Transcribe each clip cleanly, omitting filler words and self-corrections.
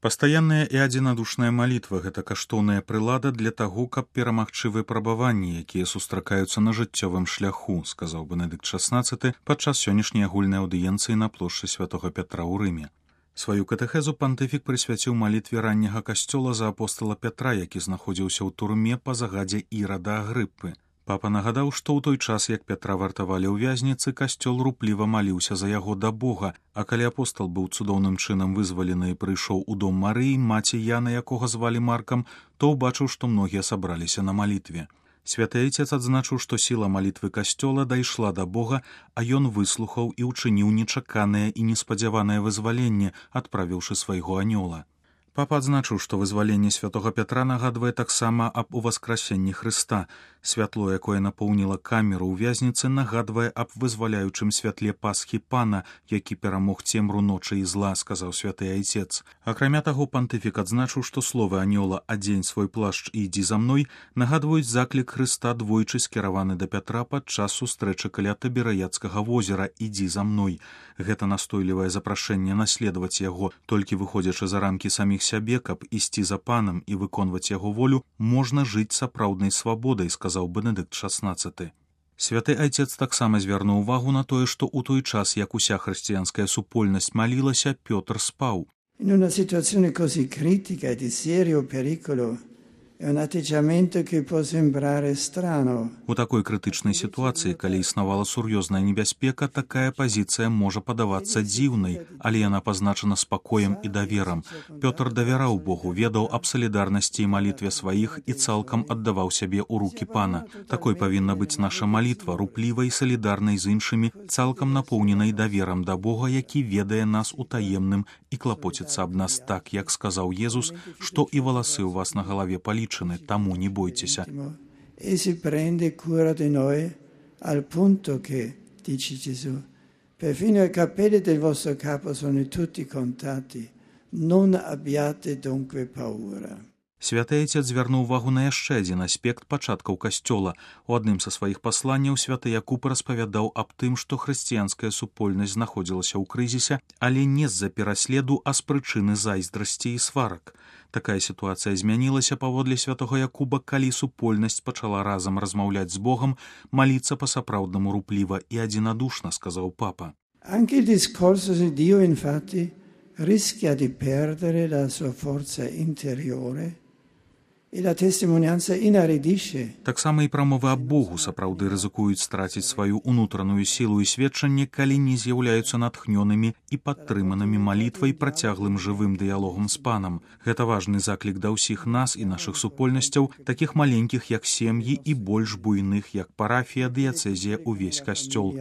Пастаянная і адзінадушная малітва – гэта каштоўная прылада для таго, каб перамагчы выпрабаванні, якія сустракаюцца на жыццёвым шляху, сказаў Бенедыкт XVI падчас сённяшняй агульнай аўдыенцыі на плошчы святога Пятра ў Рыме. Сваю катэхезу пантыфік прысвяціў малітве ранняга касцёла за апостала Пятра, які знаходзіўся ў турме па загадзе Ірада Агрыппы. Папа нагадаў, што ў той час, як Пятра вартавалі ў вязніцы, касцёл рупліва маліўся за яго да Бога, а калі апостал быў цудоўным чынам вызвалены і прыйшоў у дом Марыі, маці Яна, якога звалі Маркам, то ўбачыў, што многія сабраліся на малітве. Святы Айцец адзначыў, што сіла малітвы касцёла дайшла да Бога, а ён выслухаў і ўчыніў нечаканае і неспадзяванае вызваленне, адправіўшы свайго анёла. Папа адзначыў, што вызваленне святога Пятра нагадвае таксама аб уваскрасенні Хрыста. Святло, якое напоўніла камеру ў вязніцы, нагадвае аб вызваляючым святле Пасхі Пана, які перамог цемру ночы і зла, сказаў святы Айцец. Акрамя таго, пантыфік адзначыў, што словы анёла «Адзень свой плашч і ідзі за мной» нагадваюць заклік Хрыста, двойчы скіраваны да Пятра падчас сустрэчы каля Табераяцкага возера «Ідзі за мной». Гэта настойлівае запрашэнне наследаваць яго, толькі выходзячы за рамкі саміх сябе, каб ісці за панам і выконваць яго волю, можна жыць сапраўднай свабодай, сказаў Бенедыкт XVI. Святы Айцец таксама звярнуў увагу на тое, што ў той час, як уся хрысціянская супольнасць малілася, Пётр спаў. In una situazione così critica e di serio pericolo è un atteggiamento che può sembrare strano. У такой крытычнай сітуацыі, калі існавала сур'ёзная небяспека, такая пазіцыя можа падавацца дзіўнай, але яна пазначана спакоем і даверам. Пётр давяраў Богу, ведаў аб салідарнасці і малітве сваіх і цалкам аддаваў сябе ў рукі Пана. Такой павінна быць наша малітва, руплівай, салідарнай з іншымі, цалкам напоўненай даверам да Бога, які ведае нас у таемным і клапоціцца аб нас так, як сказаў Езус, што і валасы ў вас на галаве палічаны, таму не бойцеся. E si prende cura di noi al punto che, dice Gesù, perfino i capelli del vostro capo sono tutti contati, non abbiate dunque paura. Святы Айцец звярнуў увагу на яшчэ адзін аспект пачаткаў касцёла. У адным са сваіх пасланняў святы Якуб распавядаў аб тым, што хрысціянская супольнасць знаходзілася ў крызісе, але не з-за пераследу, а з прычыны зайздрасці і сварак. Такая сітуацыя змянілася паводле святога Якуба, калі супольнасць пачала разам размаўляць з Богом, маліцца па-сапраўднаму рупліва і адзінадушна, сказаў папа. Anche il discorso di Dio, infatti, rischia di perdere la sua forza interiore. І la testimonianza inaridisce. Таксама і прамовы аб Богу сапраўды рызыкуюць страціць сваю ўнутраную сілу і сведчанне, калі не з'яўляюцца натхнёнымі і падтрыманымі малітвай, працяглым жывым дыялогам з Панам. Гэта важны заклік да ўсіх нас і нашых супольнасцяў, такіх маленькіх, як сем'і, і больш буйных, як парафія, дыяцэзія, увесь касцёл.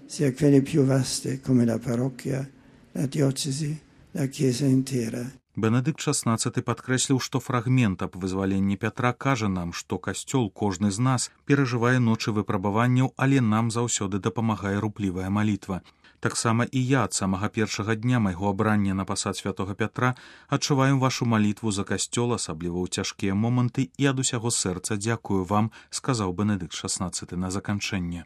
Sia quelle più vaste come la parrocchia, la diocesi, la chiesa intera. Бенедыкт XVI падкрэсліў, што фрагмент аб вызваленні Пятра кажа нам, што касцёл, кожны з нас, перажывае ночы выпрабаванняў, але нам заўсёды дапамагае руплівая малітва. Таксама і я ад самага першага дня майго абрання на пасад святога Пятра адчуваю вашу малітву за касцёл, асабліва ў цяжкія моманты, і ад усяго сэрца дзякую вам, сказаў Бенедыкт XVI на заканчэнне.